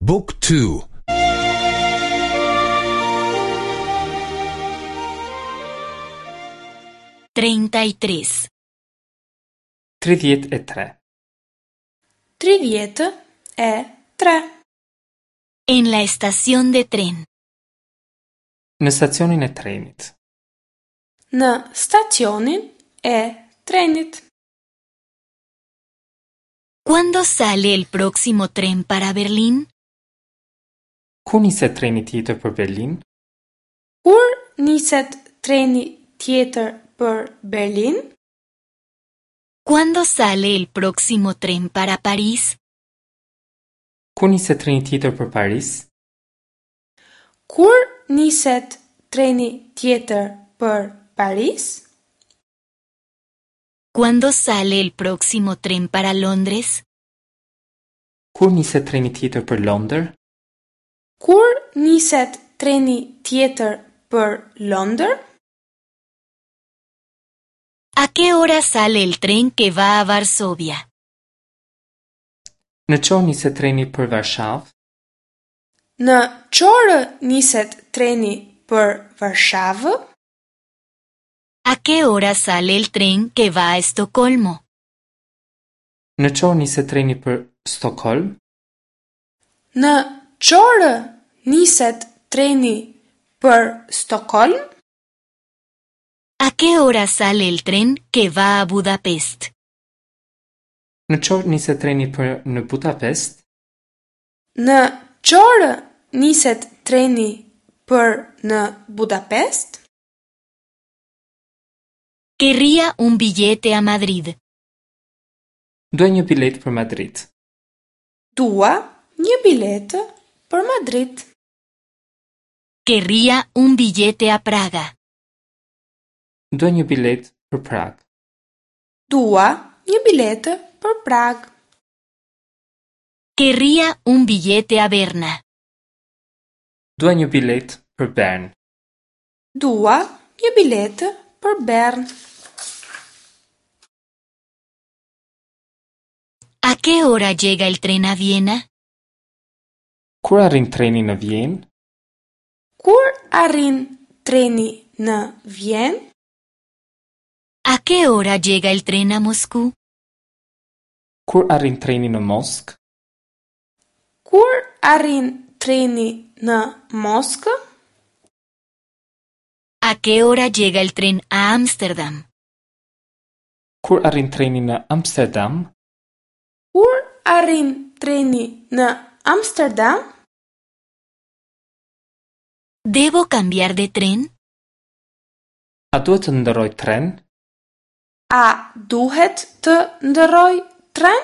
Book 2 33. 33. 33. En la estación de tren. Në stacionin e trenit. Në stacionin e trenit. ¿Cuándo sale el próximo tren para Berlín? Kur niset treni tjetër për Berlin? Kur niset treni tjetër për Berlin? ¿Cuándo sale el próximo tren para París? Kur niset treni tjetër për Paris? Kur niset treni tjetër për Paris? ¿Cuándo sale el próximo tren para Londres? Kur niset treni tjetër për Londër? Kur niset treni tjetër për Londër? ¿A qué hora sale el tren que va a Varsovia? Në ç'orë niset treni për Varshavë? Në ç'orë niset treni për Varshavë? ¿A qué hora sale el tren que va a Estocolmo? Në ç'orë niset treni për Stockholm? Në ç'orë niset treni për Stockholm? ¿A qué hora sale el tren que va a Budapest? Në ç'orë niset treni për në Budapest? Në ç'orë niset treni për në Budapest? Querría un billete a Madrid. Dua një biletë për Madrid. Dua një biletë për Madrid. Querría un billete a Praga. Dua një biletë për Prag. Dua një biletë për Prag. Querría un billete a Berna. Dua një biletë për Bern. Dua një biletë për Bern. ¿A qué hora llega el tren a Viena? Kur arrin treni në Vjenë? Kur arrin treni në Vjenë? ¿A qué hora llega el tren a Moscú? Kur arrin treni në Moskë? Kur arrin treni në Moskë? ¿A qué hora llega el tren a Ámsterdam? Kur arrin treni në Amsterdam? Kur arrin treni në Amsterdam? ¿Debo cambiar de tren? A duhet të ndërroj tren? A duhet të ndërroj tren?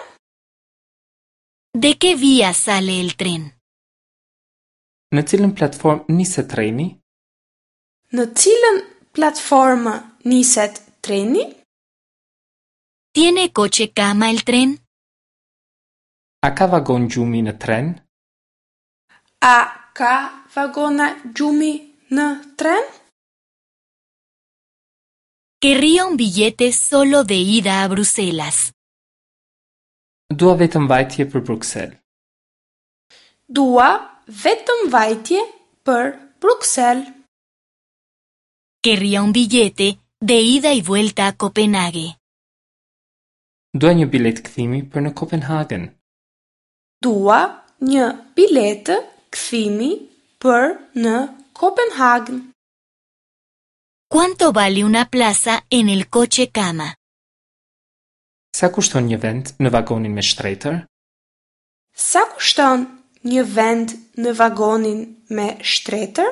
¿De qué vía sale el tren? Në cilën platformë niset treni? Në cilën platformë niset treni? ¿Tiene coche cama el tren? A ka vagon gjumi në tren? A ka vagona gjumi në tren? Querría un billete solo de ida a Bruselas. Dua vetëm vajtje për Bruksel. Dua vetëm vajtje për Bruksel. Querría un billete de ida y vuelta a Copenhague. Dua një biletë kthimi për në Kopenhagen. Dua një biletë kthimi për në Kopenhagen. ¿Cuánto vale una plaza en el coche cama? Sa kushton një vend në vagonin me shtretër? Sa kushton një vend në vagonin me shtretër?